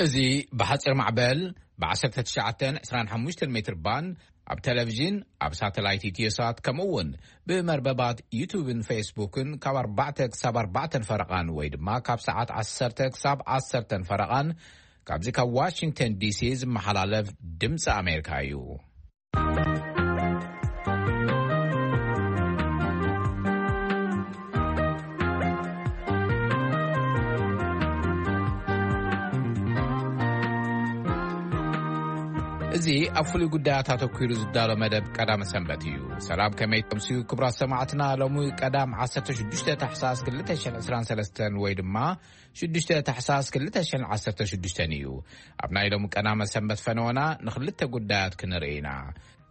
እዚ ብሓጺር ማዕበል ብ19 25 ሜትር ባንድ ኣብ ቴሌቪዥን፣ ኣብ ሳተላይት ኢትዮሳት፣ ከምኡ እውን ብመርበባት ዩቱብን ፌስቡክን ካብ ኣርባዕተ ክሳብ ኣርባዕተን ፈረቓን ወይ ድማ ካብ ሰዓት ዓሰርተ ክሳብ ዓሰርተን ፈረቓን ካብዚ ካብ ዋሽንግተን ዲሲ ዝመሓላለፍ ድምፂ ኣሜሪካ እዩ። እዚ ኣብ ፍሉይ ጉዳያት ኣተኲሩ ዝዳሎ መደብ ቀዳመ ሰንበት እዩ። ሰላም፣ ከመይ ተምስዩ ክቡራት ሰማዕትና? ሎሚ ቀዳም 16 ታሕሳስ 2023 ወይ ድማ 6 ታሕሳስ 2016 እዩ። ኣብ ናይ ሎሚ ቀዳመ ሰንበት ፈነወና ንክልተ ጉዳያት ክንርኢ ኢና።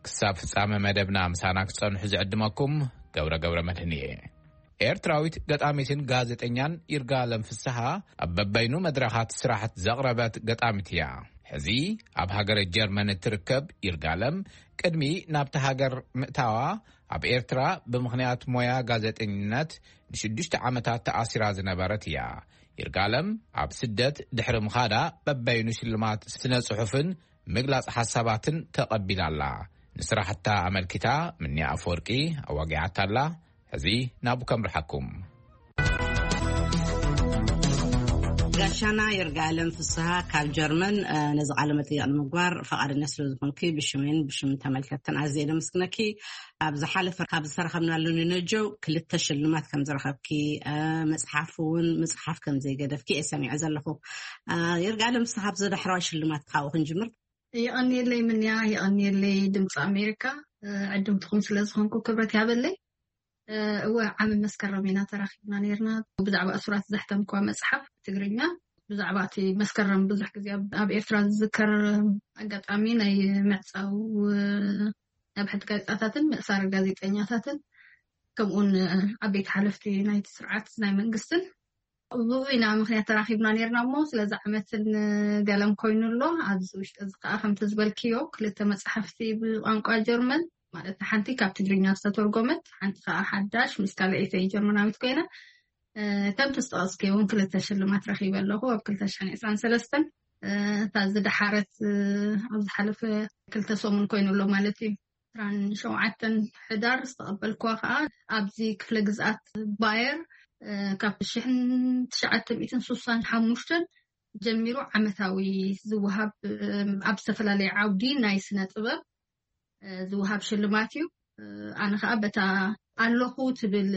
ክሳብ ፍጻመ መደብና ምሳና ክጸንሑ ዝዕድመኩም ገብረ ገብረ መድህን እየ። ኤርትራዊት ገጣሚትን ጋዜጠኛን ይርጋለም ፍስሃ ኣብ በበይኑ መድረኻት ስራሕት ዘቕረበት ገጣሚት እያ። ሕዚ ኣብ ሃገረ ጀርመን እትርከብ ይርጋለም ቅድሚ ናብቲ ሃገር ምእታዋ ኣብ ኤርትራ ብምኽንያት ሞያ ጋዜጠኝነት ንሽዱሽተ ዓመታት ተኣሲራ ዝነበረት እያ። ይርጋለም ኣብ ስደት ድሕሪ ምኻዳ በበይኑ ሽልማት ስነ ጽሑፍን ምግላጽ ሓሳባትን ተቐቢላ ኣላ። ንስራሕታ ኣመልኪታ ምንያ ኣፈወርቂ ኣዋጊዓታ ኣላ። ሕዚ ናብኡ ከምርሓኩም። ጋሻና ይርጋለም ፍስሃ ካብ ጀርመን፣ እ፣ ነዚ ቃለ መጠይቕ ንምግባር ፈቓደኛ ስለ ዝኾንኪ ብሽሜን ብሽም ተመልከትትን ኣዝየ ደመስግነኪ። ኣብ ዝሓለፈ ካብ ዝተረኸብናሉ ንነጀው ክልተ ሽልማት ከም ዝረኸብኪ፣ እ፣ መጽሓፍ እውን ምጽሓፍ ከም ዘይገደፍኪ እየ ሰሚዐ ዘለኹ። እ፣ ይርጋለም ፍስሃ፣ ኣብዚ ዳሕረዋይ ሽልማት ካብኡ ክንጅምር። የቐንየለይ ምንያ፣ የቐንየለይ ድምፂ ኣሜሪካ፣ እ፣ ዕድምትኹም ስለ ዝኾንኩ ክብረት ያበለይ። እ፣ እወ፣ ዓሚ መስከረም ኢና ተራኺብና ነይርና። ብዛዕባ እሱራት ዘሕተምክዋ መጽሓፍ ትግርኛ፣ ብዛዕባ እቲ መስከረም ብዙሕ ግዜ ኣብ፣ ኣብ ኤርትራ ዝዝከር ኣጋጣሚ ናይ ምዕጻው፣ እ፣ ነብሕቲ ጋዜጣታትን ምእሳር ጋዜጠኛታትን፣ ከምኡውን፣ እ፣ ዓበይቲ ሓለፍቲ ናይቲ ስርዓት ናይ መንግስትን፣ ብኡ ኢና ምኽንያት ተራኺብና ነይርና እሞ፣ ስለዚ ዓመትን ገለን ኮይኑ ኣሎ። ኣብዚ ውሽጢ እዚ ከኣ ከምቲ ዝበልክዮ ክልተ መጻሕፍቲ ብቋንቋ ጀርመን፣ ማለት ሓንቲ ካብ ትግርኛ ዝተተርጎመት፣ ሓንቲ ከኣ ሓዳሽ ምስ ካልኣይተይ ጀርመናዊት ኮይና፣ እ፣ ከምቲ ዝጠቐስክዮ እውን ክልተ ሽልማት ረኺበ ኣለኹ ኣብ ክልተ ሽሕን ዕስራን ሰለስተን። እ፣ እታ ዝደሓረት፣ እ፣ ኣብ ዝሓለፈ ክልተ ሰሙን ኮይኑ ኣሎ ማለት እዩ። ዕስራን ሸውዓተን ሕዳር ዝተቐበልክዋ ከኣ ኣብዚ ክፍለ ግዝኣት ባየር፣ እ፣ ካብ ሽሕን ትሽዓተ ሚእትን ስሳን ሓሙሽተን ጀሚሩ ዓመታዊ ዝወሃብ፣ እ፣ ኣብ ዝተፈላለየ ዓውዲ ናይ ስነ ጥበብ፣ እ፣ ዝወሃብ ሽልማት እዩ። እ፣ ኣነ ከኣ በታ ኣለኹ ትብል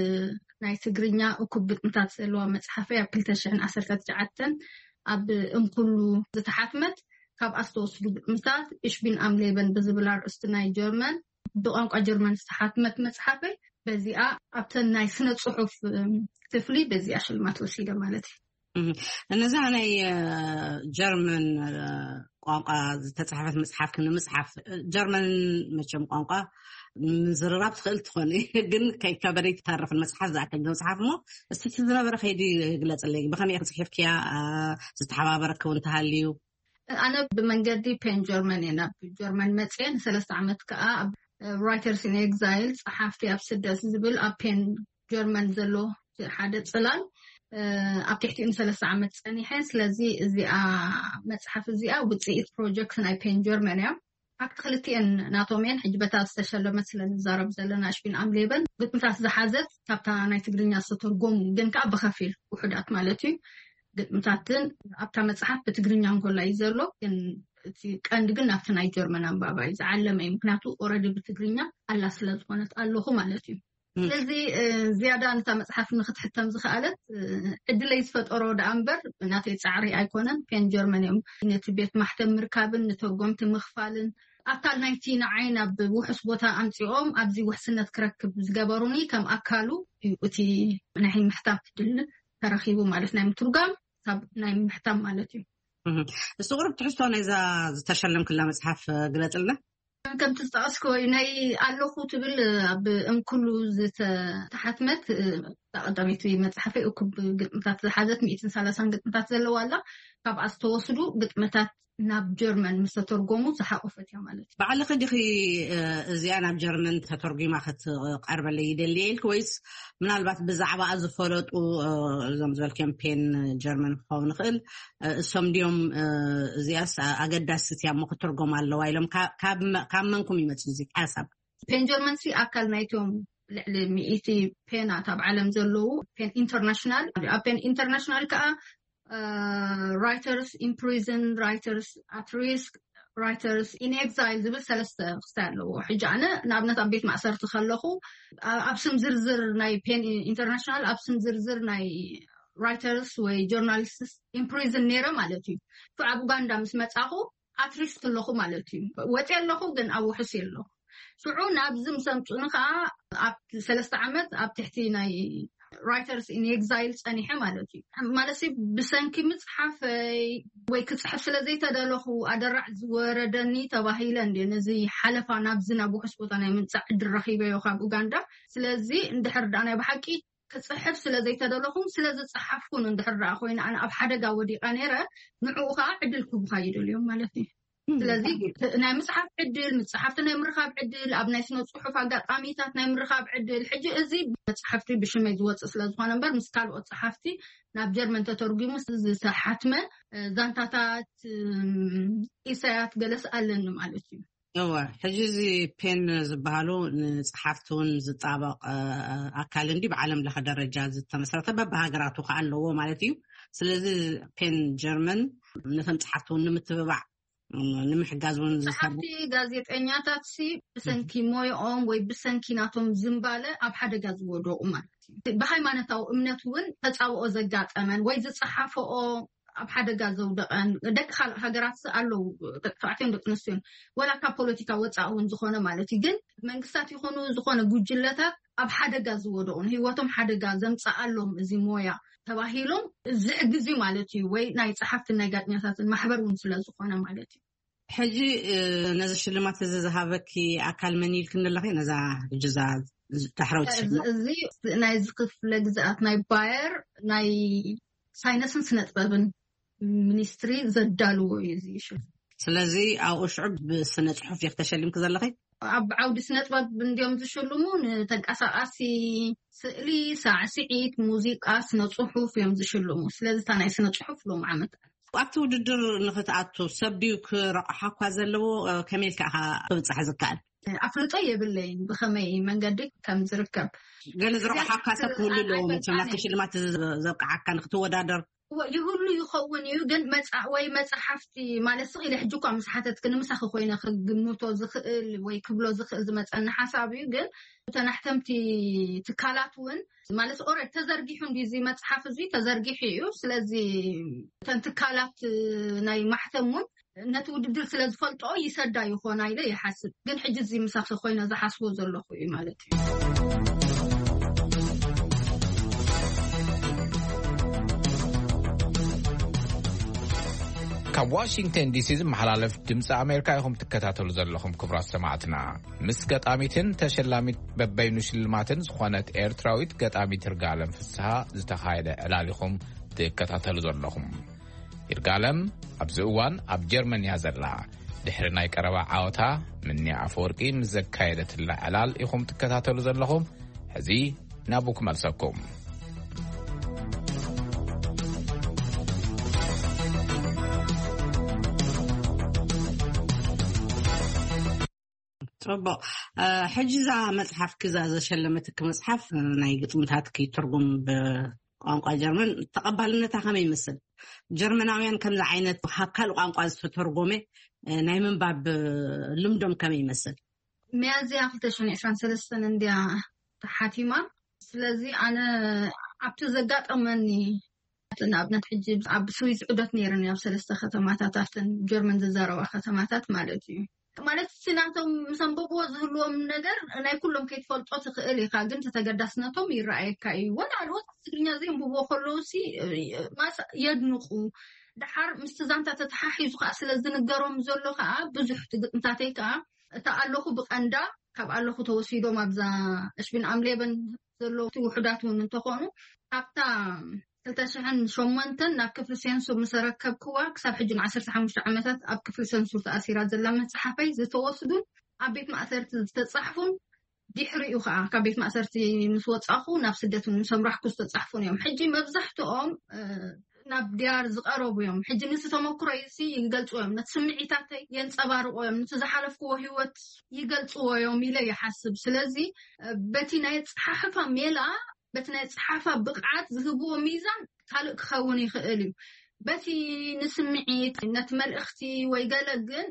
ናይ ትግርኛ እኩብ ግጥምታት ዘለዋ መጽሓፈይ ኣብ ክልተ ሽሕን ዓሰርተ ትሽዓተን ኣብ እንኩሉ ዝተሓትመት ካብ ኣስተወስዱ ግጥምታት እሽ ቢን ኣም ሌበን ብዝብል ኣርእስቲ ናይ ጀርመን፣ ብቋንቋ ጀርመን ዝተሓትመት መጽሓፈይ በዚኣ ኣብተን ናይ ስነ ጽሑፍ፣ እም፣ ክፍሊ በዚኣ ሽልማት ወሲደ ማለት እዩ። እህ፣ ነዛ ናይ፣ እ፣ ጀርመን፣ እ፣ ቋንቋ ዝተጻሕፈት መጽሓፍ ክንምጽሓፍ፣ እ፣ ጀርመን መቸም ቋንቋ ምዝርራብ ትኽእል ትኾን፣ ግን ከይከበደ ይተርፍን መጽሓፍ ዝኣክል መጽሓፍ እሞ፣ እስቲ እቲ ዝነበረ ከይዲ ግለጽለይ። ብኸመይ ኢኺ ጽሒፍክያ? እ፣ ዝተሓባበረኪ እውን ተሃልዩ? ኣነ ብመንገዲ ፔን ጀርመን እየ ናብ ጀርመን መጽየ። ንሰለስተ ዓመት ከኣ ኣብ ራይተርስ ኢን ኤግዛይል፣ ጸሓፍቲ ኣብ ስደት ዝብል ኣብ ፔን ጀርመን ዘሎ ሓደ ጽላል፣ እ፣ ኣብ ትሕቲኡ ንሰለስተ ዓመት ጸኒሐ። ስለዚ እዚኣ መጽሓፍ እዚኣ ውጽኢት ፕሮጀክት ናይ ፔን ጀርመን እያ። ኣብቲ ክልቲኤን ናቶም እየን። ሕጂ በታ ዝተሸለመት ስለ ንዛረብ ዘለና፣ ሽፒን ኣም ሌበን ግጥምታት ዝሓዘት ካብታ ናይ ትግርኛ ዝተተርጎሙ ግን ከኣ ብኸፊል ውሑዳት ማለት እዩ ግጥምታትን ኣብታ መጽሓፍ ብትግርኛ እንኮላ እዩ ዘሎ፣ ግን እቲ ቀንዲ ግን ናብቲ ናይ ጀርመን ኣንባባ እዩ ዝዓለመ እዩ። ምክንያቱ ኦረዲ ብትግርኛ ኣላ ስለ ዝኾነት ኣለኹ ማለት እዩ። ም። ስለዚ፣ እ፣ ዝያዳ ነታ መጽሓፍ ንክትሕተም ዝኸኣለት፣ እ፣ ዕድለይ ዝፈጠሮ ደኣ እምበር ናተይ ጻዕሪ ኣይኮነን። ፔን ጀርመን እዮም ነቲ ቤት ማሕተም ምርካብን ንተርጎምቲ ምኽፋልን ኣካል ናይቲ ንዓይ ናብ ውሑስ ቦታ ኣምጺኦም ኣብዚ ውሕስነት ክረክብ ዝገበሩኒ ከም ኣካሉ እዩ እቲ ናይ ምሕታም ዕድል ተረኺቡ ማለት ናይ ምትርጓም ካብ ናይ ምሕታም ማለት እዩ። እህ፣ እስቲ ቁሩብ ትሕዝቶ ናይዛ ዝተሸለምክላ መጽሓፍ ግለጽልና። ከምቲ ዝጠቐስክዎ እዩ፣ ናይ ኣለኹ ትብል ኣብ እምኩሉ ዝተሓትመት፣ እ፣ ቀዳመይቲ መጽሓፈይ እኩብ ግጥምታት ዝሓዘት ሚእትን ሰላሳን ግጥምታት ዘለዋ ኣላ። ካብኣ ዝተወስዱ ግጥምታት ናብ ጀርመን ምስ ተተርጎሙ ዝሓቆፈት እያ ማለት እዩ። ባዕልኺ ዲኺ እዚኣ ናብ ጀርመን ተተርጉማ ክትቀርበለይ ይደልየ ኢልክ ወይስ ምናልባት ብዛዕባኣ ዝፈለጡ እዞም ዝበልክዮም ፔን ጀርመን ክኸውን ይኽእል እሶም ድዮም እዚኣስ ኣገዳሲት እያ እሞ ክትርጎም ኣለዋ ኢሎም ካብ መንኩም ይመፅእ እዚ ሓሳብ? ፔን ጀርመን ሲ ኣካል ናይቶም ልዕሊ ሚእቲ ፔናት ኣብ ዓለም ዘለዉ ፔን ኢንተርናሽናል ኣብ ፔን ኢንተርናሽናል ከዓ writers in prison, writers at risk, writers in exile ዝብል ሰለስተ ክስታይ ኣለዎ። ሕጂ ኣነ ንኣብነት ኣብ ቤት ማእሰርቲ ከለኹ ኣብ ስም ዝርዝር ናይ ፔን ኢንተርናሽናል ኣብ ስም ዝርዝር ናይ writers ወይ journalists in prison ነይረ ማለት እዩ። ኣብ ኡጋንዳ ምስ መፃኹ at risk ኣለኹ ማለት እዩ። ወፂ ኣለኹ ግን ኣብ ውሕስ ኣለኹ። ሽዑ ናብዚ ምስ ኣምፁኒ ከዓ ኣብ ሰለስተ ዓመት ኣብ ትሕቲ ናይ writers in exile ፀኒሐ ማለት እዩ። ማለት ብሰንኪ ምፅሓፈይ ወይ ክፅሕፍ ስለ ዘይተደለኹ ኣደራዕ ዝወረደኒ ተባሂለ እንደ ነዚ ሓለፋ ናብዚ ናብ ውሕስ ቦታ ናይ ምምፃእ ዕድል ረኪበዮ ካብ ኡጋንዳ። ስለዚ እንድሕር ዳ ናይ ብሓቂ ክፅሕፍ ስለ ዘይተደለኹን ስለ ዝፀሓፍኩን እንድሕር ዳ ኮይነ ኣነ ኣብ ሓደጋ ወዲቀ ነይረ ንዕኡ ከዓ ዕድል ክቡካ ይደልዮም ማለት እዩ። ስለዚ ናይ ምፅሓፍ ዕድል ምፅሓፍቲ ናይ ምርካብ ዕድል ኣብ ናይ ስነ ፅሑፍ ኣጋጣሚታት ናይ ምርካብ ዕድል ሕጂ እዚ መፅሓፍቲ ብሽመይ ዝወፅእ ስለዝኮነ እምበር ምስ ካልኦት ፀሓፍቲ ናብ ጀርመን ተተርጉሙ ዝተሓትመ ዛንታታት ኢሳያት ገለስ ኣለኒ ማለት እዩ። እወ ሕጂ እዚ ፔን ዝበሃሉ ንፀሓፍቲ እውን ዝጣበቕ ኣካል እንዲ ብዓለም ለኸ ደረጃ ዝተመስረተ በብሃገራቱ ከዓ ኣለዎ ማለት እዩ። ስለዚ ፔን ጀርመን ነቶም ፀሓፍቲ እውን ንምትብባዕ ንምሕጋዝ እውን ዝሰርሕ ጸሓፍቲ ጋዜጠኛታት ሲ ብሰንኪ ሞይኦም ወይ ብሰንኪ ናቶም ዝምባለ ኣብ ሓደጋ ዝወደቑ ማለት እዩ። ብሃይማኖታዊ እምነት እውን ተጻብኦ ዘጋጠመን ወይ ዝጸሓፈኦ ኣብ ሓደጋ ዘውደቐን ደቂ ካልእ ሃገራት ኣለዉ፣ ደቂ ተባዕትዮን ደቂ ኣንስትዮን ወላ ካብ ፖለቲካ ወፃእ እውን ዝኾነ ማለት እዩ። ግን መንግስታት ይኾኑ ዝኾነ ጉጅለታት ኣብ ሓደጋ ዝወደቑ ንህይወቶም ሓደጋ ዘምፀኣሎም እዚ ሞያ ተባሂሎም ዝሕግዝ እዩ ማለት እዩ። ወይ ናይ ፀሓፍትን ናይ ጋዜጠኛታትን ማሕበር እውን ስለ ዝኾነ ማለት እዩ። ሕጂ ነዚ ሽልማት እዚ ዝሃበኪ ኣካል መን ኢልክኒ ኣለኺ? ነዛ ሕጂ እዛ ዳሕረወይቲ ሽልማት እዚ ናይዚ ክፍለ ግዝኣት ናይ ባየር ናይ ሳይነስን ስነ ጥበብን ሚኒስትሪ ዘዳልዎ እዩ እዚ ሽልማት። ስለዚ ኣብኡ ሽዑ ብስነ ፅሑፍ ዲኺ ተሸሊምኪ ዘለኺ? ኣብ ዓውዲ ስነ ጥበብ እንዲዮም ዝሽልሙ ንተንቀሳቃሲ ስእሊ፣ ሳዕስዒት፣ ሙዚቃ፣ ስነ ጽሑፍ እዮም ዝሽልሙ። ስለዚ እታ ናይ ስነ ጽሑፍ ሎም ዓመት ኣብቲ ውድድር ንክትኣቱ ሰብ ድዩ ክረቑሓ እኳ ዘለዎ? ከመይ ኢልካ ኢኻ ክብፃሕ ዝከኣል? ኣፍልጦ የብለይን ብኸመይ መንገዲ ከም ዝርከብ። ገለ ዝረቑሓካ ሰብ ክህሉ ኣለዎ መቸም ናብቲ ሽልማት ዘብቅዓካ ንክትወዳደር። ይህሉ ይኸውን እዩ ግን መፃ ወይ መፅሓፍቲ ማለት ስቕ ኢለ ሕጂ እኳ ምስ ሓተትክኒ ምሳኺ ኮይነ ክግምቶ ዝኽእል ወይ ክብሎ ዝኽእል ዝመፀኒ ሓሳብ እዩ። ግን እተን ኣሕተምቲ ትካላት እውን ማለት ኦረ ተዘርጊሑ እንዲ እዚ መፅሓፍ እዚ ተዘርጊሑ እዩ። ስለዚ እተን ትካላት ናይ ማሕተም እውን ነቲ ውድድር ስለ ዝፈልጦ ይሰዳ ይኾና ኢለ ይሓስብ። ግን ሕጂ እዚ ምሳኺ ኮይነ ዝሓስቦ ዘለኹ እዩ ማለት እዩ። ካብ ዋሽንግተን ዲሲ ዝመሓላለፍ ድምፂ ኣሜሪካ ኢኹም ትከታተሉ ዘለኹም ክቡራት ሰማዕትና። ምስ ገጣሚትን ተሸላሚት በበይኑ ሽልማትን ዝኾነት ኤርትራዊት ገጣሚት ይርጋለም ፍስሃ ዝተኻየደ ዕላል ኢኹም ትከታተሉ ዘለኹም። ይርጋለም ኣብዚ እዋን ኣብ ጀርመን እያ ዘላ። ድሕሪ ናይ ቀረባ ዓወታ ምንያ ኣፈወርቂ ምስ ዘካየደትላ ዕላል ኢኹም ትከታተሉ ዘለኹም። ሕዚ ናብኡ ክመልሰኩም። ፅቡቕ። ሕጂ እዛ መፅሓፍኪ እዛ ዘሸለመትኪ መፅሓፍ ናይ ግጥምታትኪ ትርጉም ብቋንቋ ጀርመን ተቐባልነታ ከመይ ይመስል? ጀርመናውያን ከምዚ ዓይነት ካብ ካልእ ቋንቋ ዝተተርጎመ ናይ ምንባብ ልምዶም ከመይ ይመስል? ሚያዝያ ክልተ ሽሕን ዕስራን ሰለስተን እንድያ ተሓቲማ። ስለዚ ኣነ ኣብቲ ዘጋጠመኒ ንኣብነት ሕጂ ኣብ ስዊዝ ዑደት ነይርኒ ኣብ ሰለስተ ከተማታት ኣብተን ጀርመን ዝዛረባ ከተማታት ማለት እዩ። ማለት እቲ ናቶም ምስ ኣንበብዎ ዝህልዎም ነገር ናይ ኩሎም ከይትፈልጦ ትኽእል ኢኻ፣ ግን እቲ ተገዳስነቶም ይረኣየካ እዩ። ወላ ኣልወት ትግርኛ ዘንብብዎ ከለዉ ሲ ማስ የድንቑ። ደሓር ምስቲ ዛንታ ተተሓሒዙ ከዓ ስለ ዝንገሮም ዘሎ ከዓ ብዙሕ እቲ ግጥምታተይ ከዓ እታ ኣለኹ ብቐንዳ ካብ ኣለኹ ተወሲዶም ኣብዛ እሽቢን ኣምሌበን ዘለዉ ውሑዳት እውን እንተኾኑ ኣብታ ክልተ ሽሕን ሸሞንተን ናብ ክፍሊ ሴንሱር ምስ ኣረከብክዋ፣ ክሳብ ሕጂ ን ዓሰርተ ሓሙሽተ ዓመታት ኣብ ክፍሊ ሴንሱር ተኣሲራ ዘላ መጽሓፈይ ዝተወስዱን ኣብ ቤት ማእሰርቲ ዝተጻሕፉን፣ ድሕሪኡ ከዓ ካብ ቤት ማእሰርቲ ምስ ወጻኹ ናብ ስደት ምስ ኣምራሕኩ ዝተጻሕፉን እዮም። ሕጂ መብዛሕትኦም፣ እ፣ ናብ ድያር ዝቐረቡ እዮም። ሕጂ ንስ ተመክሮ ይሲ ይገልጽዎ እዮም። ነቲ ስምዒታተይ የንጸባርቆ እዮም። ነቲ ዝሓለፍክዎ ህይወት ይገልጽዎ እዮም ኢለ ይሓስብ። ስለዚ፣ እ፣ በቲ ናይ ጸሓሕፋ ሜላ፣ በቲ ናይ ጸሓፋ ብቕዓት ዝህብዎ ሚዛን ካልእ ክኸውን ይኽእል እዩ። በቲ ንስምዒት፣ ነቲ መልእኽቲ ወይ ገለ ግን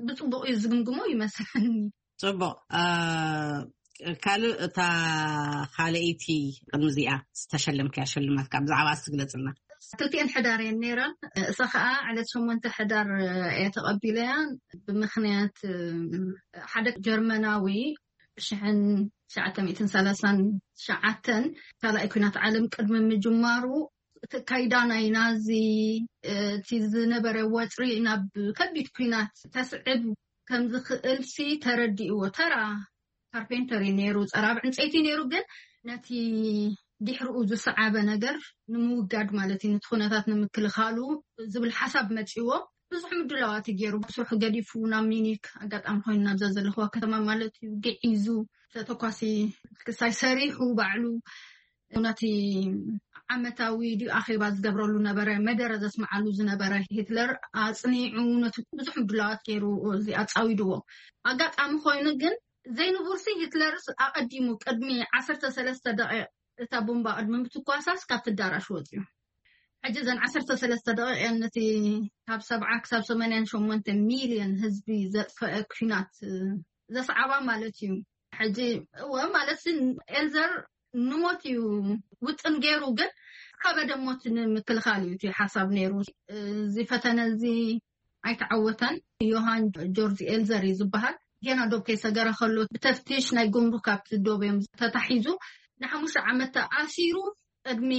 ብጽቡቕ እዩ ዝግምግሞ ይመስለኒ። ጽቡቕ። እ፣ ካልእ እታ ካልኣይቲ ቅድሚ እዚኣ ዝተሸለምክያ ሽልማት ካብ ብዛዕባ እሱ ግለጽልና። ክልቲኤን ሕዳር እየን ነይረን። እሳ ኸኣ ዕለት ሸሞንተ ሕዳር እየ ተቐቢለያ። ብምኽንያት፣ እ፣ ሓደ ጀርመናዊ ሽሕን ትሽዓተ ሚእትን ሰላሳን ትሽዓተን ካልኣይ ኲናት ዓለም ቅድሚ ምጅማሩ፣ እቲ ካይዳ ናይ ናዚ፣ እ፣ እቲ ዝነበረ ወጥሪ ናብ ከቢድ ኲናት ተስዕብ ከም ዝኽእል ሲ ተረዲእዎ። ተራ ካርፔንተር እዩ ነይሩ፣ ጸራብ ዕንጸይቲ ነይሩ። ግን ነቲ ድሕሪኡ ዝሰዓበ ነገር ንምውጋድ ማለት እዩ፣ ነቲ ኩነታት ንምክልኻሉ ዝብል ሓሳብ መጺዎ። ብዙሕ ምድላዋት እዩ ገይሩ። ስርሑ ገዲፉ ናብ ሚኒክ፣ ኣጋጣሚ ኮይኑ ናብዛ ዘለኽዋ ከተማ ማለት እዩ፣ ግዒዙ፣ ተተኳሲ ክሳይ ሰሪሑ ባዕሉ ነቲ ዓመታዊ ድዩ ኣኼባ ዝገብረሉ ነበረ፣ መደረ ዘስምዓሉ ዝነበረ ሂትለር ኣጽኒዑ፣ ነቲ ብዙሕ ምድላዋት ገይሩ፣ እዚ ኣጻዊድዎ። ኣጋጣሚ ኮይኑ ግን ዘይንቡርሲ ሂትለርስ ኣቐዲሙ ቅድሚ ዓሰርተ ሰለስተ ደቂቕ እታ ቦምባ ቅድሚ ምትኳሳስ ካብቲ ኣዳራሽ ወጺኡ። ሕጂ እዘን ዓሰርተ ሰለስተ ደቂቕ እየን ነቲ ካብ ሰብዓ ክሳብ ሰማንያን ሸሞንተ ሚልዮን ህዝቢ ዘጥፈአ ኲናት፣ እ፣ ዘስዓባ ማለት እዩ። ሕጂ እወ፣ ማለት ሲ ኤልዘር ንሞት እዩ ውጥን ገይሩ፣ ግን ከበደ ሞት ንምክልኻል እዩ እቲ ሓሳብ ነይሩ። እዚ ፈተነ እዚ ኣይተዓወተን። ዮሃን ጆርጅ ኤልዘር እዩ ዝበሃል። ጌና ዶብ ከይሰገረ ከሎ ብተፍቲሽ ናይ ጉምሩክ ኣብቲ ዶብ እዮም ተታሒዙ። ንሓሙሽተ ዓመት ተኣሲሩ። ቅድሚ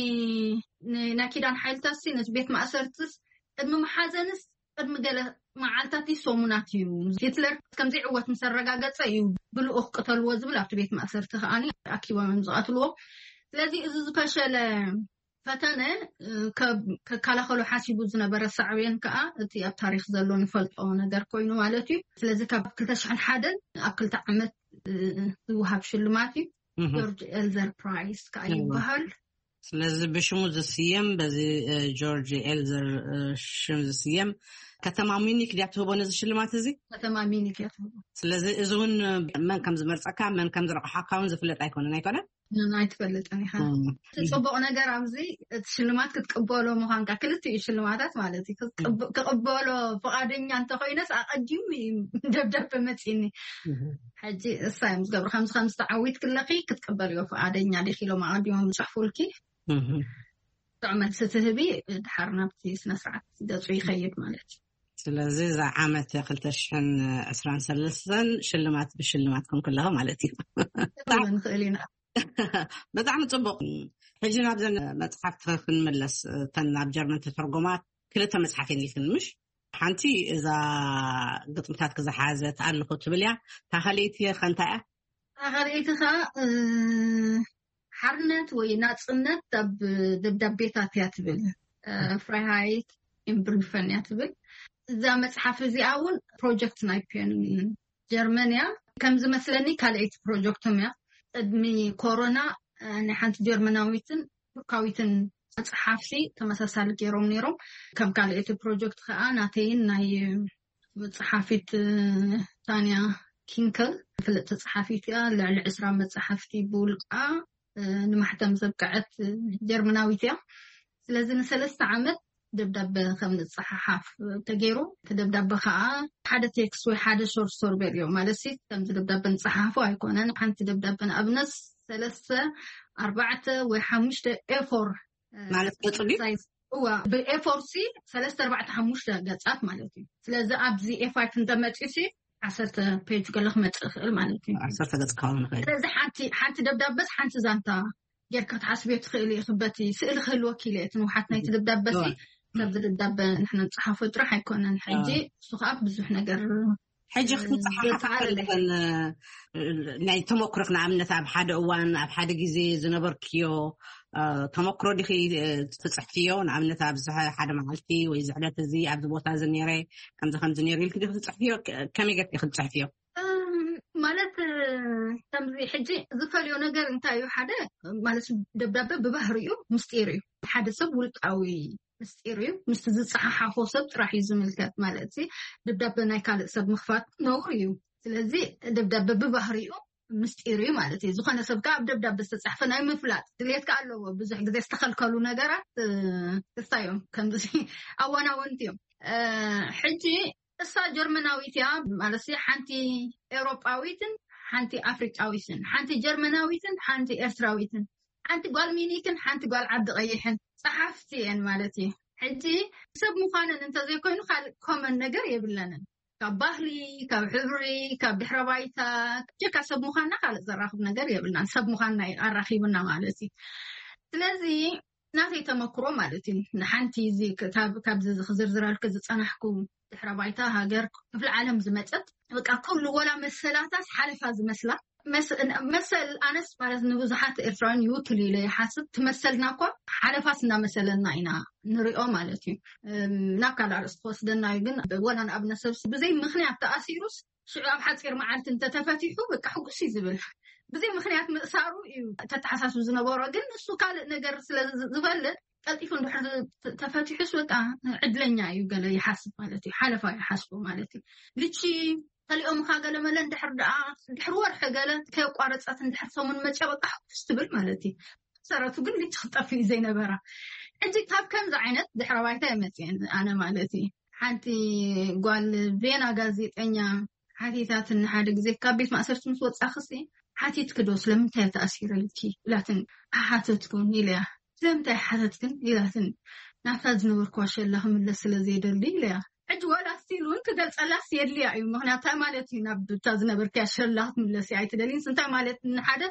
ን-፣ ናይ ኪዳን ሓይልታትሲ ነቲ ቤት ማእሰርትስ ቅድሚ መሓዘንስ ቅድሚ ገለ መዓልታት ሰሙናት እዩ። ሂትለር ከም ዘይዕወት ምስ ኣረጋገጸ እዩ ብልኡኽ ቅተልዎ ዝብል ኣብቲ ቤት ማእሰርቲ ከኣኒ ኣኪቦም እዮም ዝቐትልዎ። ስለዚ እዚ ዝፈሸለ ፈተነ፣ እ፣ ከ-፣ ከከላኸሎ ሓሲቡ ዝነበረ ሳዕቤን ከኣ እቲ ኣብ ታሪኽ ዘሎ ንፈልጦ ነገር ኮይኑ ማለት እዩ። ስለዚ ካብ ክልተ ሽሕን ሓደን ኣብ ክልተ ዓመት፣ እ፣ ዝወሃብ ሽልማት እዩ። እህ። ጆርጅ ኤልዘር ፕራይስ ከኣ እህ። ይበሃል። ስለዚ ብሽሙ ዝስየም፣ በዚ፣ እ፣ ጆርጅ ኤልዘር፣ እ፣ ሽም ዝስየም ከተማ ሚኒክ ድያ ትህቦ ነዚ ሽልማት እዚ? ከተማ ሚኒክ እያ ትህቦ። ስለዚ እዚ እውን መን ከም ዝመርጸካ፣ መን ከም ዝረቕሓካ እውን ዝፍለጥ ኣይኮነን፣ ኣይኮነን? ን-፣ ኣይትፈልጥን ኢኻ። እም። እቲ ጽቡቕ ነገር ኣብዚ እቲ ሽልማት ክትቅበሎ ምዃንካ፣ ክልቲኡ ሽልማታት ማለት እዩ። ክትቅብ-፣ እም። ክቕበሎ ፍቓደኛ እንተኾይነስ ኣቐዲሙ እዩ ደብዳበ መጺኒ። እም። ሕጂ እሳ እዮም ዝገብሩ። ከምዚ ከምዚ ተዓዊትክለኺ ክትቅበልዮ ፍቓደኛ ዲኺ ኢሎም ኣቐዲሞም ይጽሕፉልኪ። እህ። ጥዑይ መልሲ ትህቢ፣ ድሓር ናብቲ ስነ ስርዓት ገጹ ይኸይድ ማለት እዩ። ስለዚ እዛ ዓመት ክልተ ሽሕን ዕስራን ሰለስተን ሽልማት ብሽልማት ኮንክለኸ ማለት እዩ። ክብል ንኽእል ኢና። ብጣዕሚ ጽቡቕ። ሕጂ ናብዘን መጽሓፍቲ ክንመለስ፣ እተን ናብ ጀርመን ተተርጎማ ክልተ መጽሓፍ እየን ኢልክን ምሽ? ሓንቲ እዛ ግጥምታት ክዝሓዘት ኣለኹ ትብል እያ። እታ ካልኣይቲ ኸ እንታይ እያ? እታ ካልኣይቲ ኸኣ፣ እ፣ ሓርነት ወይ ናጽነት ኣብ ደብዳቤታት እያ ትብል። እ፣ ፍራይሃይት ኢን ብሪፈን እያ ትብል። እዛ መጽሓፍ እዚኣ እውን ፕሮጀክት ናይ ፒዮን ጀርመን እያ። ከም ዝመስለኒ ካልኣይቲ ፕሮጀክቶም እያ። ቅድሚ ኮሮና፣ እ፣ ናይ ሓንቲ ጀርመናዊትን ቱርካዊትን ጸሓፍቲ ተመሳሳሊ ገይሮም ነይሮም። ከም ካልኣይቲ ፕሮጀክት ከኣ ናተይን ናይ ጸሓፊት፣ እ፣ ታንያ ኪንከል ፍልጥቲ ጸሓፊት እያ። ልዕሊ ዕስራ መጻሕፍቲ ብውልቃ፣ እ፣ ንማሕተም ዘብቅዐት፣ እ፣ ጀርመናዊት እያ። ስለዚ ንሰለስተ ዓመት ደብዳበ ከም ንጸሓሓፍ ተገይሩ። እቲ ደብዳበ ከኣ ሓደ ቴክስት ወይ ሓደ ሾርት ስቶሪ በልዮ። ማለት ሲ ከምዚ ደብዳበ ንጸሓሓፎ ኣይኮነን። ሓንቲ ደብዳበ ንኣብነት ሰለስተ፣ ኣርባዕተ ወይ ሓሙሽተ ኤ ፎር፣ እ፣ ማለት ገጹ ድዩ? ሳይዝ። እዋ፣ ብኤ ፎር ሲ ሰለስተ፣ ኣርባዕተ፣ ሓሙሽተ ገጻት ማለት እዩ። ስለዚ ኣብዚ ኤ ፋይቭ እንተመጺኡ ሲ ዓሰርተ ፔጅ ገለ ክመጽእ ይኽእል ማለት እዩ። ዓሰርተ ገጽ ክኸውን ይኽእል። ስለዚ ሓንቲ፣ ሓንቲ ደብዳበስ ሓንቲ ዛንታ ጌርካ ክትሓስብዮ ትኽእል ኢኺ። በቲ ስእሊ ክህልወኪ ኢለ እቲ ንውሓት ናይቲ ደብዳበ ሲ፣ እዋ። ካብዚ ደብዳበ ንሕና ንጽሓፎ ጥራሕ ኣይኮነን። ሕጂ እዋ። እሱ ከኣ ብዙሕ ነገር፣ ሕጂ እ፣ ክትጽሓሓፋ ዘተዓረለ ከለኽን፣ እ፣ ናይ ተመኩሮኽ ንኣብነት ኣብ ሓደ እዋን፣ ኣብ ሓደ ግዜ ዝነበርክዮ፣ ተመክሮ ዲኺ ትፅሕፍዮ? ንኣብነት ኣብዚ ሓደ መዓልቲ ወይ ዝዕለት እዚ ኣብዚ ቦታ እዚ ነይረ፣ ከምዚ ከምዚ ነይሩ ኢልክ ዲኺ ትፅሕፍዮ? ከመይ ገርክ ክትፅሕፍዮ? ማለት ከምዚ ሕጂ ዝፈልዮ ነገር እንታይ እዩ? ሓደ ማለት ደብዳቤ ብባህሪኡ ምስጢር እዩ። ሓደ ሰብ ውልቃዊ ምስጢር እዩ። ምስቲ ዝፀሓሓፎ ሰብ ጥራሕ እዩ ዝምልከት። ማለት ደብዳቤ ናይ ካልእ ሰብ ምኽፋት ነውር እዩ። ስለዚ ደብዳቤ ብባህሪኡ ምስጢር እዩ ማለት እዩ። ዝኾነ ሰብ ከዓ ኣብ ደብዳቤ ዝተፃሕፈ ናይ ምፍላጥ ድሌት ከዓ ኣለዎ። ብዙሕ ግዜ ዝተኸልከሉ ነገራት ክስታይ እዮም። ከምዚ ኣዋናወንቲ እዮም። ሕጂ እሳ ጀርመናዊት እያ ማለት ሓንቲ ኤውሮጳዊትን ሓንቲ ኣፍሪቃዊትን፣ ሓንቲ ጀርመናዊትን ሓንቲ ኤርትራዊትን፣ ሓንቲ ጓል ሚኒክን ሓንቲ ጓል ዓዲ ቀይሕን ፀሓፍቲ እየን ማለት እዩ። ሕጂ ሰብ ምዃነን እንተዘይኮይኑ ካልእ ኮመን ነገር የብለንን። ካብ ባህሊ፣ ካብ ሕብሪ፣ ካብ ድሕረ ባይታ ጀካ ሰብ ምዃንና ካልእ ዘራኽብ ነገር የብልናን። ሰብ ምዃንና ኣራኺቡና ማለት እዩ። ስለዚ ናተይ ተመክሮ ማለት እዩ። ንሓንቲ እዚ ካብዚ ክዝርዝረልክ ዝፀናሕኩ ድሕረ ባይታ ሃገር ክፍለ ዓለም ዝመፀት በቃ ኩሉ ወላ መሰላታት ሓለፋ ዝመስላ መሰል ኣነስ ማለት ንብዙሓት ኤርትራውያን ይውክል ኢለ ይሓስብ። ትመሰልና እኳ ሓለፋስ እናመሰለና ኢና ንሪኦ ማለት እዩ። ናብ ካልእ ኣርእስቲ ክወስደና እዩ ግን ወላ ንኣብነት ሰብ ብዘይ ምክንያት ተኣሲሩስ ሽዑ ኣብ ሓፂር መዓልቲ እንተተፈቲሑ በቃ ሕጉስ እዩ ዝብል። ብዘይ ምክንያት ምእሳሩ እዩ ተተሓሳስብ ዝነበሮ። ግን ንሱ ካልእ ነገር ስለ ዝፈልጥ ቀልጢፉ እንድሕር ተፈቲሑስ በቃ ዕድለኛ እዩ ገለ ይሓስብ ማለት እዩ። ሓለፋ ይሓስቡ ማለት እዩ። ልቺ ከሊኦምካ ገለ መለ እንድሕር ደኣ ድሕሪ ወርሒ ገለ ከየቋረፀት እንድሕር ሰሙን መፅያ በቃ ሕጉስ ትብል ማለት እዩ። ሰረቱ ግን ልቺ ክጠፍእ እዩ ዘይነበራ። ሕጂ ካብ ከምዚ ዓይነት ድሕረ ባይታ እየ መፅየን ኣነ ማለት እዩ። ሓንቲ ጓል ቬና ጋዜጠኛ ሓቲታትኒ ሓደ ግዜ ካብ ቤት ማእሰርቲ ምስ ወፃኽሲ ሓቲትኪ ዶ ስለምንታይ ተኣሲረልኪ ኢላትን ሓተትኩን ኢለያ። ስለምንታይ ሓተትክን ኢላትን ናብታ ዝነበርኩዋ ሸላ ክምለስ ስለ ዘይደሊ ኢለያ። ሕጂ ዋላ ስቲል እውን ክገልፀላስ የድልያ እዩ። ምክንያቱ እንታይ ማለት እዩ ናብ ብታ ዝነበርክያ ሸላ ክትምለሲ ኣይትደልይንስ እንታይ ማለት ንሓደ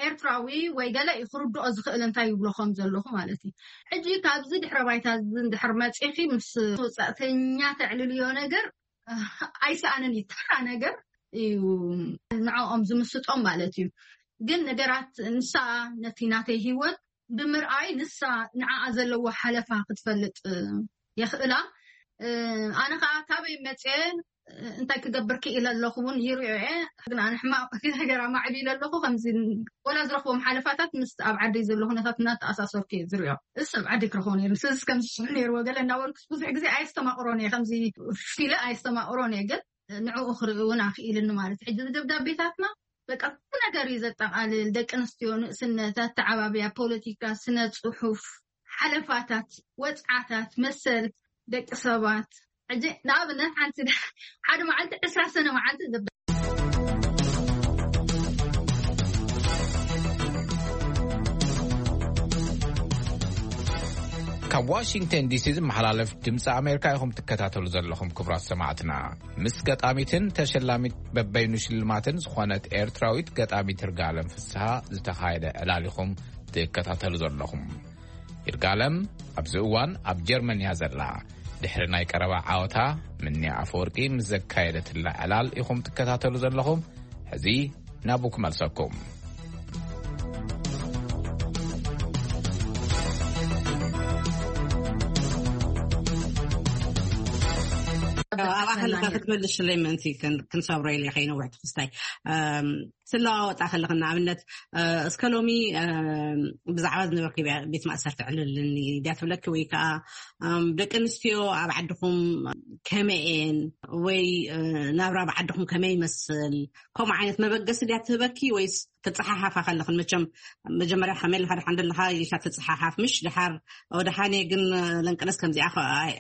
ኤርትራዊ ወይ ገለ እዩ ክርድኦ ዝኽእል እንታይ ይብሎ ከም ዘለኹ ማለት እዩ። ሕጂ ካብዚ ድሕረ ባይታ እዚ እንድሕር መፂኺ ምስ ወፃእተኛ ተዕልልዮ ነገር ኣይሰኣንን እዩ። ተራ ነገር እዩ ንዕኦም ዝምስጦም ማለት እዩ። ግን ነገራት ንሳ ነቲ ናተይ ሂወት ብምርኣይ ንሳ ንዓኣ ዘለዎ ሓለፋ ክትፈልጥ የኽእላ። ኣነ ከዓ ካበይ መፅየ እንታይ ክገብር ክኢለ ኣለኹ እውን ይሪኦ እየ። ግን ኣነ ሕማቕ ነገር ኣማዕቢለ ኣለኹ። ከምዚ ወላ ዝረኽቦም ሓለፋታት ምስ ኣብ ዓደይ ዘሎ ኩነታት እናተኣሳሰርኩ እየ ዝሪኦ። እስ ኣብ ዓደይ ክረኽቦ ነይሩ። ስለዚ ከምዚ ሽዑ ነይርዎ ገለ እናበልኩስ ብዙሕ ግዜ ኣየስተማቕሮን እየ። ከምዚ ፊለ ኣየስተማቕሮን እየ። ግን ንዕኡ ክርኢ እውን ኣኽኢልኒ ማለት እዩ። ሕጂ እዚ ደብዳቤታትና በቃ ኩሉ ነገር እዩ ዘጠቓልል። ደቂ ኣንስትዮ፣ ንእስነት፣ ኣተዓባብያ፣ ፖለቲካ፣ ስነ ፅሑፍ፣ ሓለፋታት፣ ወፅዓታት፣ መሰል ደቂ ሰባት። ሕጂ ንኣብነት ሓንቲ ሓደ መዓልቲ ዕስራ ሰነ መዓልቲ ካብ ዋሽንግተን ዲሲ ዝመሓላለፍ ድምፂ ኣሜሪካ ኢኹም ትከታተሉ ዘለኹም። ክቡራት ሰማዕትና፣ ምስ ገጣሚትን ተሸላሚት በበይኑ ሽልማትን ዝኾነት ኤርትራዊት ገጣሚት ይርጋለም ፍስሃ ዝተኻየደ ዕላል ኢኹም ትከታተሉ ዘለኹም። ይርጋለም ኣብዚ እዋን ኣብ ጀርመን እያ ዘላ። ድሕሪ ናይ ቀረባ ዓወታ ምንያ ኣፈወርቂ ምስ ዘካየደትላ ዕላል ኢኹም ትከታተሉ ዘለኹም። ሕዚ ናብኡ ክመልሰኩም። ኣብኣ ከለካ ክትመልሽለይ ምእንቲ ክንሰብሮ ኢለ ከይነውሕ ትክስታይ ስለዋወጣ ከለኽን ንኣብነት እስከ ሎሚ ብዛዕባ ዝነበርኪ ቤት ማእሰርቲ ዕልልኒ ድያ ትብለኪ ወይ ከዓ ደቂ ኣንስትዮ ኣብ ዓድኹም ከመይ እየን ወይ ናብራ ኣብ ዓድኹም ከመይ ይመስል? ከምኡ ዓይነት መበገሲ ድያ ትህበኪ ወይስ ትፀሓሓፋ ከለኽን? መቸም መጀመርያ ከመይ ኣለካ ደሓን ደለካ ኢልካ ትፀሓሓፍ ምሽ ድሓር ወደሓን እየ ግን ለንቅነስ ከምዚኣ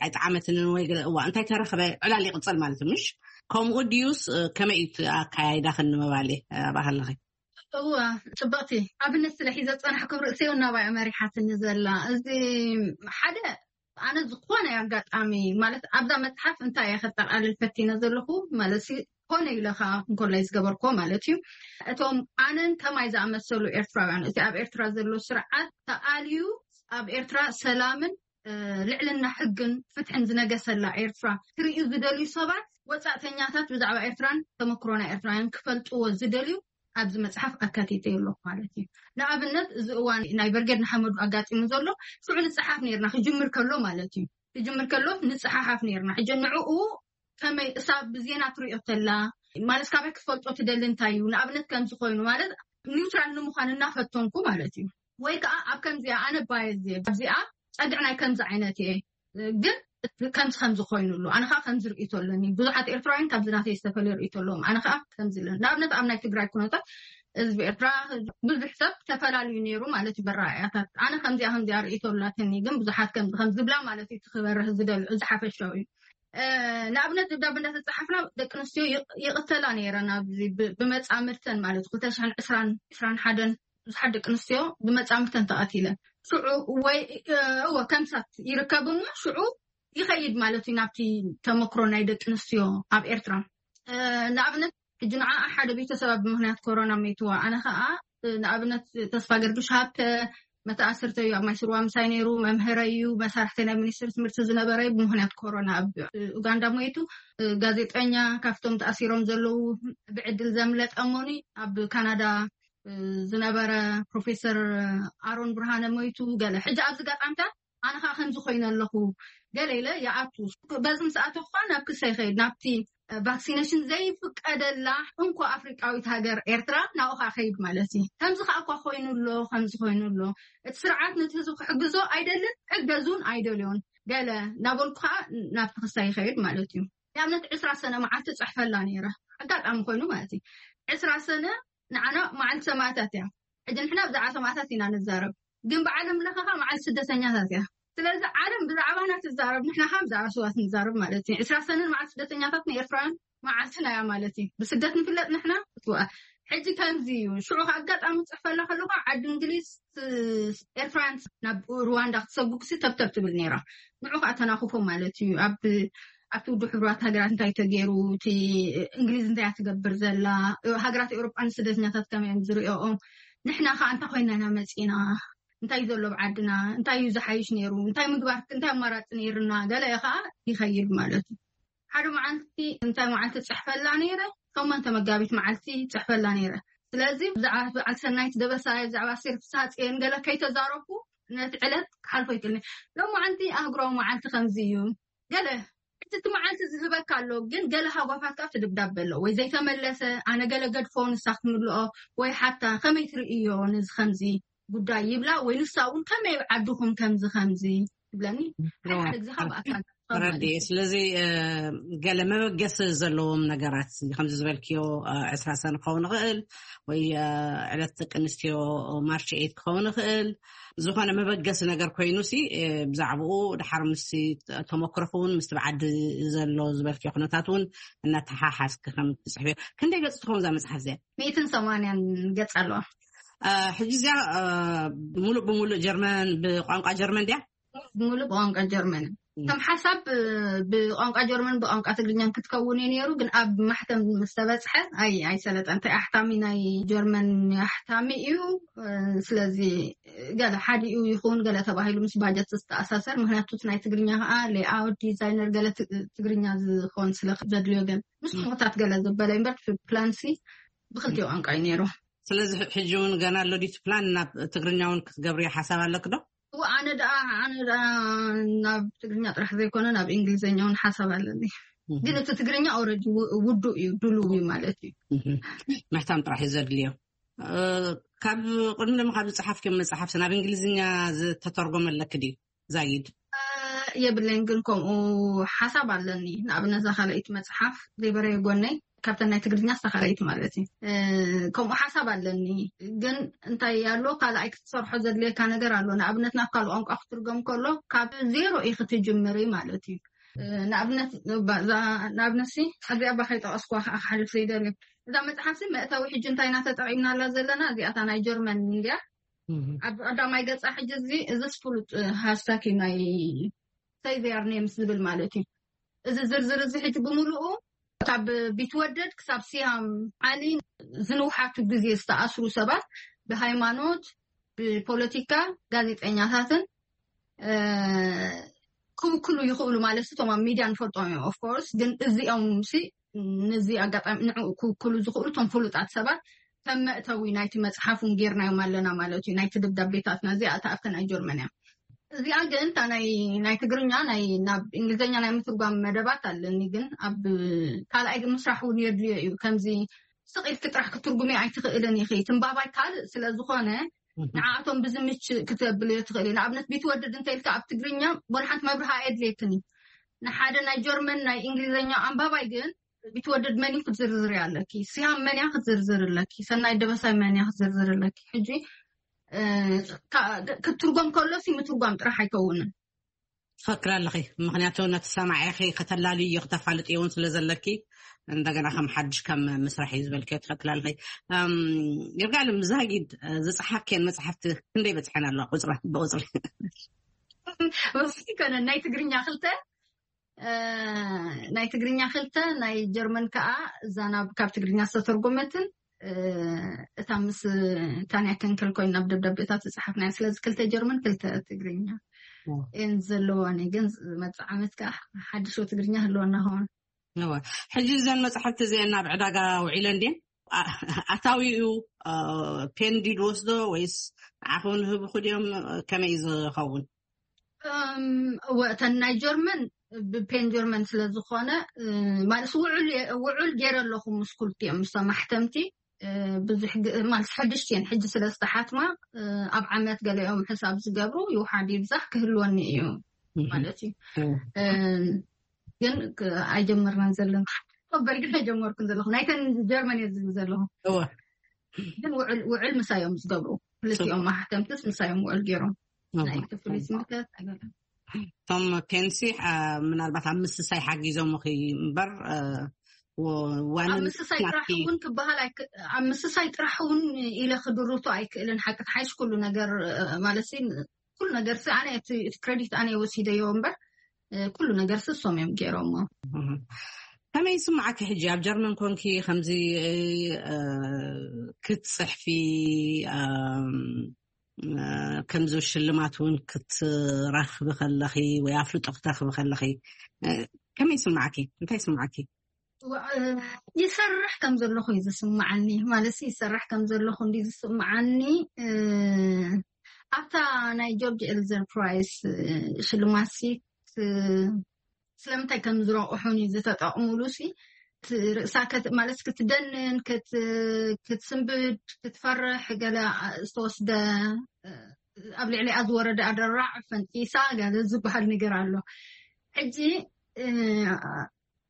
ኣይጠዓመትንን ወይ ገለ እዋ እንታይ ተረኽበ ዕላል ይቕፅል ማለት እዩ ምሽ? ከምኡ ድዩስ ከመይ እዩ ኣካያይዳኽን ንምባል እየ ኣብኣ ከለኺ? እዋ ፅብቕቲ ኣብነት ስለ ሒዘ ፀናሕኩም ርእሰይ እውን ናባይ መሪሓትኒ ዘላ። እዚ ሓደ ኣነ ዝኾነ ኣጋጣሚ ማለት ኣብዛ መፅሓፍ እንታይ እየ ከጠቃልል ፈቲነ ዘለኹ ማለት ሲ ኮነ ኢለ ከዓ እንኮላይ ዝገበርኮ ማለት እዩ። እቶም ኣነን ከማይ ዝኣመሰሉ ኤርትራውያን እቲ ኣብ ኤርትራ ዘሎ ስርዓት ተኣልዩ ኣብ ኤርትራ ሰላምን ልዕልና ሕግን ፍትሕን ዝነገሰላ ኤርትራ ክርእዩ ዝደልዩ ሰባት ወፃእተኛታት ብዛዕባ ኤርትራን ተመክሮ ናይ ኤርትራውያን ክፈልጥዎ ዝደልዩ ኣብዚ መፅሓፍ ኣካቲተ ኣለኹ ማለት እዩ። ንኣብነት፣ እዚ እዋን ናይ በርጌድ ንሓመዱ ኣጋጢሙ ዘሎ ሽዑ ንፅሓፍ ነርና፣ ክጅምር ከሎ ማለት እዩ። ክጅምር ከሎ ንፅሓሓፍ ነርና። ሕጂ ንዕኡ ከመይ እሳ ብዜና ትሪኦ ተላ ማለት፣ ካበይ ክትፈልጦ ትደሊ? እንታይ እዩ ንኣብነት ከምዚ ኮይኑ ማለት፣ ኒውትራል ንምዃን እናፈተንኩ ማለት እዩ። ወይ ከዓ ኣብ ከምዚኣ ኣነ ባየዝ እየ፣ ኣብዚኣ ፀግዕ ናይ ከምዚ ዓይነት እየ፣ ግን ከምዚ ከምዚ ኮይኑሉ፣ ኣነ ከዓ ከምዚ ርእይቶ ኣለኒ። ብዙሓት ኤርትራውያን ካብዚ ናተይ ዝተፈለየ ርእይቶ ኣለዎም። ኣነ ከዓ ከምዚ ኣለኒ። ንኣብነት ኣብ ናይ ትግራይ ኩነታት፣ ህዝቢ ኤርትራ ብዙሕ ሰብ ተፈላለዩ ነይሩ ማለት እዩ በረኣእያታት። ኣነ ከምዚኣ ከምዚኣ ርእይቶ ኣላትኒ፣ ግን ብዙሓት ከምዚ ከም ዝብላ ማለት እዩ፣ እቲ ክበርህ ዝደልዑ ዝሓፈሻዊ እዩ። ንኣብነት ደብዳብ እንዳተፃሓፍና ደቂ ኣንስትዮ ይቕተላ ነይረን። ኣብዚ ብመፃምርተን ማለት ክልተ ሽሕን ዕስራን ዕስራን ሓደን ብዙሓት ደቂ ኣንስትዮ ብመፃምርተን ተቐቲለን። ሽዑ ወይ እወ ከምሳት ይርከብ እሞ ሽዑ ይኸይድ ማለት እዩ ናብቲ ተመክሮ ናይ ደቂ ኣንስትዮ ኣብ ኤርትራ። ንኣብነት ሕጂ ንዓ ሓደ ቤተሰባ ብምክንያት ኮሮና ሞይትዋ፣ ኣነ ከዓ ንኣብነት ተስፋ ገርግሽ ሃብተ መተኣስርተዩ ኣብ ማይስርዋ ምሳይ ነይሩ፣ መምህረዩ፣ መሳርሕተ ናይ ሚኒስትሪ ትምህርቲ ዝነበረዩ ብምክንያት ኮሮና ኣብ ኡጋንዳ ሞይቱ። ጋዜጠኛ ካብቶም ተኣሲሮም ዘለዉ ብዕድል ዘምለጠ እሞኒ ኣብ ካናዳ ዝነበረ ፕሮፌሰር ኣሮን ብርሃነ ሞይቱ። ገለ ሕጂ ኣብዚ ጋጣምታት ኣነ ከዓ ከምዚ ኮይነ ኣለኹ ገለ ኢለ ይኣቱ። በዚ ምስ ኣተኹ ከዓ ናብ ክሰ ይኸይድ፣ ናብቲ ቫክሲኔሽን ዘይፍቀደላ እንኮ ኣፍሪቃዊት ሃገር ኤርትራ ናብኡ ከዓ ከይድ ማለት እዩ። ከምዚ ከዓ እኳ ኮይኑ ኣሎ፣ ከምዚ ኮይኑ ኣሎ። እቲ ስርዓት ነቲ ህዝቢ ክሕግዞ ኣይደልን፣ ሕገዙን ኣይደልዮን ገለ እናበልኩ ከዓ ናብቲ ክሳ ይኸይድ ማለት እዩ። ንኣብነት ዕስራ ሰነ መዓልቲ ጽሕፈላ ነይረ፣ ኣጋጣሚ ኮይኑ ማለት እዩ። ዕስራ ሰነ ንዓና መዓልቲ ሰማእታት እያ። ሕጂ ንሕና ብዛዕባ ሰማእታት ኢና ንዛረብ፣ ግን ብዓለም ለኸ ከዓ መዓልቲ ስደተኛታት እያ። ስለዚ ዓለም ብዛዕባና ትዛረብ፣ ንሕና ከዓ ብዛዕባ ስዋት ንዛረብ ማለት እዩ። ዕስራ ሰነ መዓልቲ ስደተኛታት ንኤርትራውያን መዓልትና እያ ማለት እዩ። ብስደት ንፍለጥ ንሕና። እትወ ሕጂ ከምዚ እዩ። ሽዑ ከዓ ኣጋጣሚ ጽሕፈላ ከለኹ ዓዲ እንግሊዝ ኤርትራውያን ናብ ሩዋንዳ ክትሰጉጉ ሲ ተብተብ ትብል ነይራ። ንዑ ከዓ ተናኹፎ ማለት እዩ። ኣብ ኣብቲ ውድብ ሕቡራት ሃገራት እንታይ ተገይሩ፣ እቲ እንግሊዝ እንታይ እያ ትገብር ዘላ፣ ሃገራት ኤውሮጳ ንስደተኛታት ከመይ እዮም ዝሪኦኦም፣ ንሕና ከዓ እንታይ ኮይና ኢና መፂና፣ እንታይ እዩ ዘሎ ኣብ ዓድና፣ እንታይ እዩ ዝሓይሽ ነይሩ፣ እንታይ ምግባር፣ እንታይ ኣማራፂ ነይርና፣ ገለ ከዓ ይኸይድ ማለት እዩ። ሓደ መዓልቲ እንታይ መዓልቲ ጽሕፈላ ነይረ፣ ሸሞንተ መጋቢት መዓልቲ ጽሕፈላ ነይረ። ስለዚ ብዛዕባ በዓል ሰናይት ደበሳይ፣ ብዛዕባ ኣስቴር ፍስሃጽዮን ገለ ከይተዛረብኩ ነቲ ዕለት ክሓልፎ ይክእልኒ። ሎም መዓልቲ ኣህጉራዊ መዓልቲ ከምዚ እዩ። ገለ እቲ መዓልቲ ዝህበካ ኣሎ፣ ግን ገለ ሃጓፋት ካብ ትድብዳብ ኣሎ ወይ ዘይተመለሰ፣ ኣነ ገለ ገድፎ ንሳ ክትምልኦ ወይ ሓታ ከመይ ትርእዮ ነዚ ከምዚ ጉዳይ ይብላ ወይ ንሳ እውን ከመይ ዓድኹም ከምዚ ከምዚ ትብለኒ። ሓደ ሓደ ግዜ ካብ ኣካል ተረዲኤ። ስለዚ ገለ መበገሲ ዘለዎም ነገራት ከምዚ ዝበልክዮ ዕስራ ሰነ ክኸውን ይኽእል ወይ ዕለት ደቂ ኣንስትዮ ማርች ኤት ክኸውን ይኽእል። ዝኾነ መበገሲ ነገር ኮይኑ ሲ ብዛዕባኡ ድሓር ምስ ተመክሮኹ እውን ምስቲ ብዓዲ ዘሎ ዝበልክዮ ኩነታት እውን እናተሓሓዝኪ ከም ትፅሕፍዮ። ክንደይ ገፅ ትኸውን እዛ መፅሓፍ እዚኣ? ሚእትን ሰማንያን ገፅ ኣለዋ። ሕጂ እዚኣ ሙሉእ ብሙሉእ ጀርመን ብቋንቋ ጀርመን ድያ? ሙሉእ ብቋንቋ ጀርመን ከም ሓሳብ ብቋንቋ ጀርመን ብቋንቋ ትግርኛን ክትከውን እዩ ነይሩ፣ ግን ኣብ ማሕተም ምስ ተበፅሐ ኣይ ኣይሰለጠን። እንታይ ኣሕታሚ ናይ ጀርመን ኣሕታሚ እዩ። ስለዚ ገለ ሓዲኡ ይኹን ገለ ተባሂሉ ምስ ባጀት ዝተኣሳሰር፣ ምክንያቱ እቲ ናይ ትግርኛ ከዓ ሌኣውት ዲዛይነር ገለ ትግርኛ ዝኸውን ስለ ዘድልዮ ገለ ምስ ቁታት ገለ ዝበለ እምበር ፕላንሲ ብክልቲኡ ቋንቋ እዩ ነይሩ። ስለዚ ሕጂ እውን ገና ኣሎ ድዩ እቲ ፕላን? ናብ ትግርኛ እውን ክትገብርዮ ሓሳብ ኣለክ ዶ? እወ፣ ኣነ ደኣ ኣነ ደኣ ናብ ትግርኛ ጥራሕ ዘይኮነ ናብ እንግሊዝኛ እውን ሓሳብ ኣለኒ። ግን እቲ ትግርኛ ኦረዲ ውዱእ እዩ፣ ድሉው እዩ ማለት እዩ። ምሕታም ጥራሕ እዩ ዘድልዮ። ካብ ቅድሚ ደሞ ካብ ዝፀሓፍክዮም መፅሓፍቲ ናብ እንግሊዝኛ ዝተተርጎመ ኣለክ ድዩ? ዛይድ የብለይን፣ ግን ከምኡ ሓሳብ ኣለኒ። ንኣብነት እዛ ካልኣይቲ መፅሓፍ ዘይበረየ ጎነይ ካብተን ናይ ትግርኛ እሳ ካልኣይቲ ማለት እዩ። ከምኡ ሓሳብ ኣለኒ፣ ግን እንታይ ኣሎ ካልኣይ ክትሰርሖ ዘድልየካ ነገር ኣሎ። ንኣብነት ናብ ካልእ ቋንቋ ክትርገም ከሎ ካብ ዜሮ እዩ ክትጅምሪ ማለት እዩ። ንኣብነት ንኣብነት ሲ ኣብዚኣ ባኸይ ጠቐስኩዋ ከዓ ክሓልፍ ዘይደልዮ እዛ መፅሓፍ ሲ መእተዊ ሕጂ እንታይ ኢና ተጠቒምናላ ዘለና እዚኣታ ናይ ጀርመን እንድያ ኣብ ቀዳማይ ገጻ ሕጂ እዚ እዚስ ፍሉጥ ሃሽታግ እዩ ናይ Save Your Names ዝብል ማለት እዩ። እዚ ዝርዝር እዚ ሕጂ ብምሉኡ ካብ ቢትወደድ ክሳብ ሲያም ዓሊ ዝንውሓቱ ግዜ ዝተኣስሩ ሰባት ብሃይማኖት፣ ብፖለቲካ፣ ጋዜጠኛታትን ክውክሉ ይኽእሉ ማለት እቶም ኣብ ሚድያ ንፈልጦም እዮም። ኦፍኮርስ ግን እዚኦም ሲ ነዚ ኣጋጣሚ ንዕኡ ክውክሉ ዝኽእሉ እቶም ፍሉጣት ሰባት ከም መእተዊ ናይቲ መጽሓፍ እውን ጌርናዮም ኣለና ማለት እዩ። ናይቲ ደብዳቤታትና እዚኣ እታ ኣብተን ኣይ ጀርመን እያ። እዚኣ ግን እታ ናይ ናይ ትግርኛ ናይ ናብ እንግሊዝኛ ናይ ምትርጓም መደባት ኣለኒ፣ ግን ኣብ ካልኣይ ግን ምስራሕ እውን የድልዮ እዩ። ከምዚ ስቕ ኢልኪ ጥራሕ ክትርጉሚ ኣይትኽእልን ኢኺ። ትንባባይ ካልእ ስለ ዝኾነ ንዓኣቶም ብዝምች ክተብልዮ ትኽእሊ። ንኣብነት ቢትወደድ እንተ ኢልካ ኣብ ትግርኛ ወላ ሓንቲ መብርሃ ኣየድልየክን እዩ። ንሓደ ናይ ጀርመን ናይ እንግሊዝኛ ኣንባባይ ግን ቢትወደድ መን እዩ ክትዝርዝሪ ኣለኪ፣ ስያም መን እያ ክትዝርዝር ኣለኪ፣ ሰናይ ደበሳይ መን እያ ክትዝርዝር ኣለኪ። ሕጂ ክትርጎም ከሎሲ ምትርጓም ጥራሕ ኣይከውንን። ትፈክር ኣለኺ። ምክንያቱ ነቲ ሰማዒኺ ከተላልዩ ከተፋልጥዮ እውን ስለ ዘለኪ እንደገና ከም ሓድሽ ከም ምስራሕ እዩ ዝበልክዮ ትፈክር ኣለኺ። ይርጋለም ዛጊድ ዝፀሓፍክየን መፅሓፍቲ ክንደይ በፅሐን ኣለዋ ቁፅረ ብቁፅሪ? ወስቲ ኮነ ናይ ትግርኛ ክልተ ናይ ትግርኛ ክልተ ናይ ጀርመን ከዓ እዛ ናብ ካብ ትግርኛ ዝተተርጎመትን እታ ምስ ታንያ ከንከል ኮይና ኣብ ደብዳቤታት ዝፀሓፍናያ። ስለዚ ክልተ ጀርመን ክልተ ትግርኛ እየን ዘለዋኒ። ግን መፅእ ዓመት ከዓ ሓድሽ ትግርኛ ህልወና ኸውን። ሕጂ እዘን መፅሓፍቲ እዚአን ናብ ዕዳጋ ውዒለን ድን ኣታዊኡ ፔንዲ ዝወስዶ ወይስ ንዓኹም ንህብኹ ድዮም? ከመይ ዝኸውን? እወ እተን ናይ ጀርመን ብፔን ጀርመን ስለ ዝኾነ ማለት ውዑል ውዑል ገይረ ኣለኹ ምስ ኩልቲኦም ምስ ማሕተምቲ ብዙሕ ማለት ሓድሽቲ እየን። ሕጂ ስለ ዝተሓትማ ኣብ ዓመት ገለኦም ሕሳብ ዝገብሩ ይውሓድ ይብዛሕ ክህልወኒ እዩ ማለት እዩ። ግን ኣይጀመርናን ዘለና በል ግን ኣይጀመርኩን ዘለኹ ናይተን ጀርመን እየ ዝብል ዘለኹ። ግን ውዕል ምሳዮም ዝገብሩ ክልቲኦም ማሕተምትስ ምሳዮም ውዕል ገይሮም ናይ ክፍሊት ምልከት ኣይገርም። እቶም ፔንሲ ምናልባት ኣብ ምስሳይ ሓጊዞም እምበር ኣብ ምስሳይ ጥራሕ እውን ክበሃል ኣብ ምስሳይ ጥራሕ እውን ኢለ ክድርቶ ኣይክእልን። ሓቂ ሓይሽ ኩሉ ነገር ማለት ኩሉ ነገር ኣነ እቲ ክሬዲት ኣነ ወሲደዮ እምበር ኩሉ ነገር ስሶም እዮም ገይሮሞ። ከመይ ይስማዓኪ ሕጂ ኣብ ጀርመን ኮንኪ ከምዚ ክትፅሕፊ ከምዚ ሽልማት እውን ክትረኽቢ ከለኺ ወይ ኣፍልጦ ክትረኽቢ ከለኺ ከመይ ይስማዓኪ? እንታይ ይስማዓኪ? ይሰርሕ ከም ዘለኹ እዩ ዝስማዓኒ። ማለት ይሰርሕ ከም ዘለኹ እንዲ ዝስማዓኒ ኣብታ ናይ ጆርጅ ኤልዘር ፕራይስ ሽልማት ሲ ስለምንታይ ከም ዝረቑሑን እዩ ዝተጠቕሙሉ ሲ ርእሳ ማለት ክትደንን ክትስንብድ ክትፈርሕ ገለ ዝተወስደ ኣብ ልዕሊኣ ዝወረደ ኣደራዕ ፈንጢሳ ገለ ዝበሃል ነገር ኣሎ። ሕጂ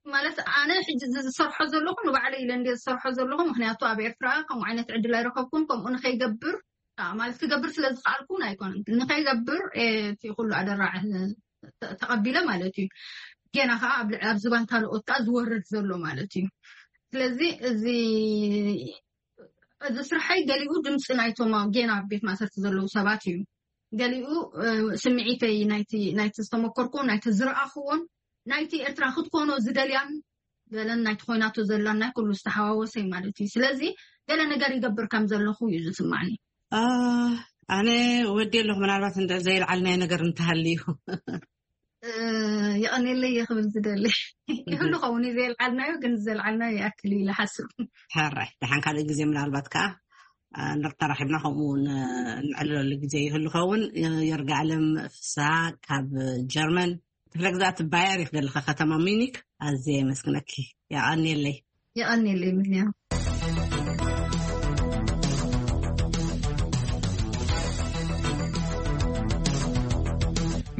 ማለት ኣነ ሕጂ ዝሰርሖ ዘለኹ ንባዕለ ኢለ እንደ ዝሰርሖ ዘለኹ ምክንያቱ ኣብ ኤርትራ ከምኡ ዓይነት ዕድል ኣይረከብኩን። ከምኡ ንከይገብር ማለት ክገብር ስለ ዝከኣልኩ እውን ኣይኮነን ንከይገብር እቲ ኩሉ ኣደራዕ ተቐቢለ ማለት እዩ። ገና ከዓ ኣብ ዝባን ካልኦት ከዓ ዝወርድ ዘሎ ማለት እዩ። ስለዚ እዚ እዚ ስርሐይ ገሊኡ ድምፂ ናይቶም ገና ኣብ ቤት ማእሰርቲ ዘለዉ ሰባት እዩ። ገሊኡ ስምዒተይ ናይቲ ዝተመኮርኩ ናይቲ ዝረኣኽዎን ናይቲ ኤርትራ ክትኮኖ ዝደልያን ገለን ናይቲ ኮይናቶ ዘላን ናይ ኩሉ ዝተሓዋወሰ እዩ ማለት እዩ። ስለዚ ገለ ነገር ይገብር ከም ዘለኹ እዩ ዝስማዕኒ። ኣነ ወዲ ኣለኹ ምናልባት እንደ ዘይልዓልናይ ነገር እንተሃልዩ ይቐኔለይ እየ ክብል ዝደሊ ይህሉ ኸውን እዩ። ዘየልዓልናዮ ግን ዘልዓልናዮ ይኣክል እዩ ኢለ ሓስብ። ሕራይ ደሓን ካልእ ግዜ ምናልባት ከዓ ንርተራኺብና ከምኡ ንዕልለሉ ግዜ ይህሉ ኸውን። ይርጋለም ፍስሃ ካብ ጀርመን ክፍለ ግዛት ባየር ይክደልካ ከተማ ሚኒክ ኣዝየ የመስግነኪ። የቐንየለይ። የቐንየለይ ምንያ።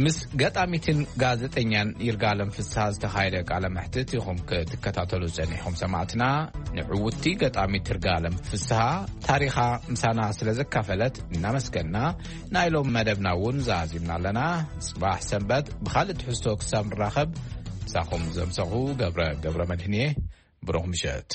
ምስ ገጣሚትን ጋዜጠኛን ይርጋለም ፍስሃ ዝተኻየደ ቃለ መሕትት ኢኹም ክትከታተሉ ጸኒሕኹም ሰማዕትና። ንዕውቲ ገጣሚት ይርጋለም ፍስሃ ታሪኻ ምሳና ስለ ዘካፈለት እናመስገና ናይ ሎም መደብና እውን ዛዚምና ኣለና። ጽባሕ ሰንበት ብኻልእ ትሕዝቶ ክሳብ ንራኸብ ምሳኹም ዘምሰኹ ገብረ ገብረ መድህንየ ብሩኽ ምሸት።